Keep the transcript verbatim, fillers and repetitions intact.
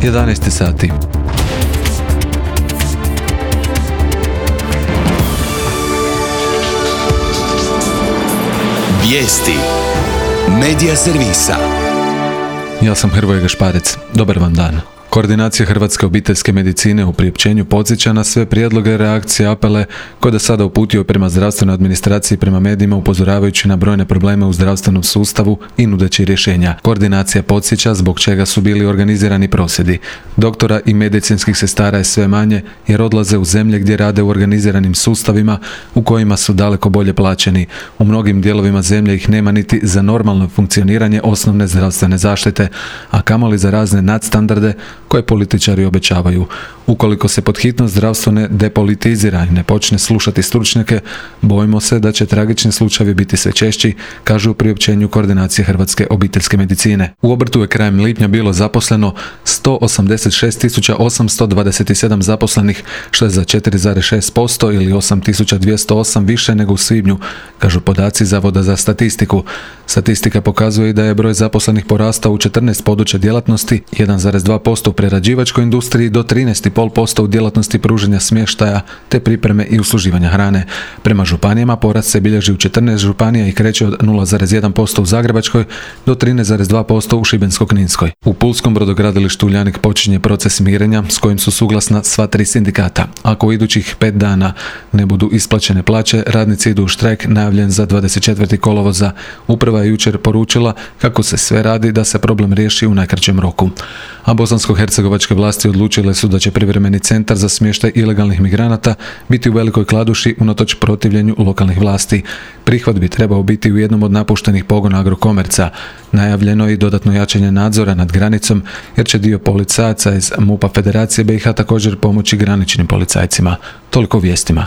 jedanaest sati. Vijesti Medija servisa. Ja sam Hrvoje Gašparec. Dobar vam dan. Koordinacija Hrvatske obiteljske medicine u priopćenju podsjeća na sve prijedloge, reakcije, apele koje do sada uputio prema zdravstvenoj administraciji i prema medijima, upozoravajući na brojne probleme u zdravstvenom sustavu i nudeći rješenja. Koordinacija podsjeća zbog čega su bili organizirani prosvjedi. Doktora i medicinskih sestara je sve manje jer odlaze u zemlje gdje rade u organiziranim sustavima u kojima su daleko bolje plaćeni. U mnogim dijelovima zemlje ih nema niti za normalno funkcioniranje osnovne zdravstvene zaštite, a kamoli za razne nadstandarde koje političari obećavaju. Ukoliko se pod hitno zdravstvo ne depolitizira i ne počne slušati stručnjake, bojimo se da će tragični slučajevi biti sve češći, kažu u priopćenju Koordinacije Hrvatske obiteljske medicine. U obrtu je krajem lipnja bilo zaposleno sto osamdeset šest tisuća osamsto dvadeset sedam zaposlenih, što je za četiri zarez šest posto ili osam tisuća dvjesto osam više nego u svibnju, kažu podaci Zavoda za statistiku. Statistika pokazuje i da je broj zaposlenih porastao u četrnaest područja djelatnosti, jedan zarez dva posto u prerađivačkoj industriji do trinaest zarez pet posto u djelatnosti pružanja smještaja te pripreme i usluživanja hrane. Prema županijama porast se bilježi u četrnaest županija i kreće od nula zarez jedan posto u Zagrebačkoj do trinaest zarez dva posto u Šibensko-kninskoj. U Pulskom brodogradilištu Uljanik počinje proces mirenja s kojim su suglasna sva tri sindikata. Ako u idućih pet dana ne budu isplaćene plaće, radnici idu u štrajk najavljen za dvadeset četvrtog kolovoza. Uprava je jučer poručila kako se sve radi da se problem riješi u najkraćem roku. A bosansko-hercegovačke vlasti odlučile su da će privremeni centar za smještaj ilegalnih migranata biti u Velikoj Kladuši unatoč protivljenju lokalnih vlasti. Prihvat bi trebao biti u jednom od napuštenih pogona Agrokomerca. Najavljeno je i dodatno jačanje nadzora nad granicom jer će dio policajaca iz MUP-a Federacije B i H također pomoći graničnim policajcima. Toliko o vijestima.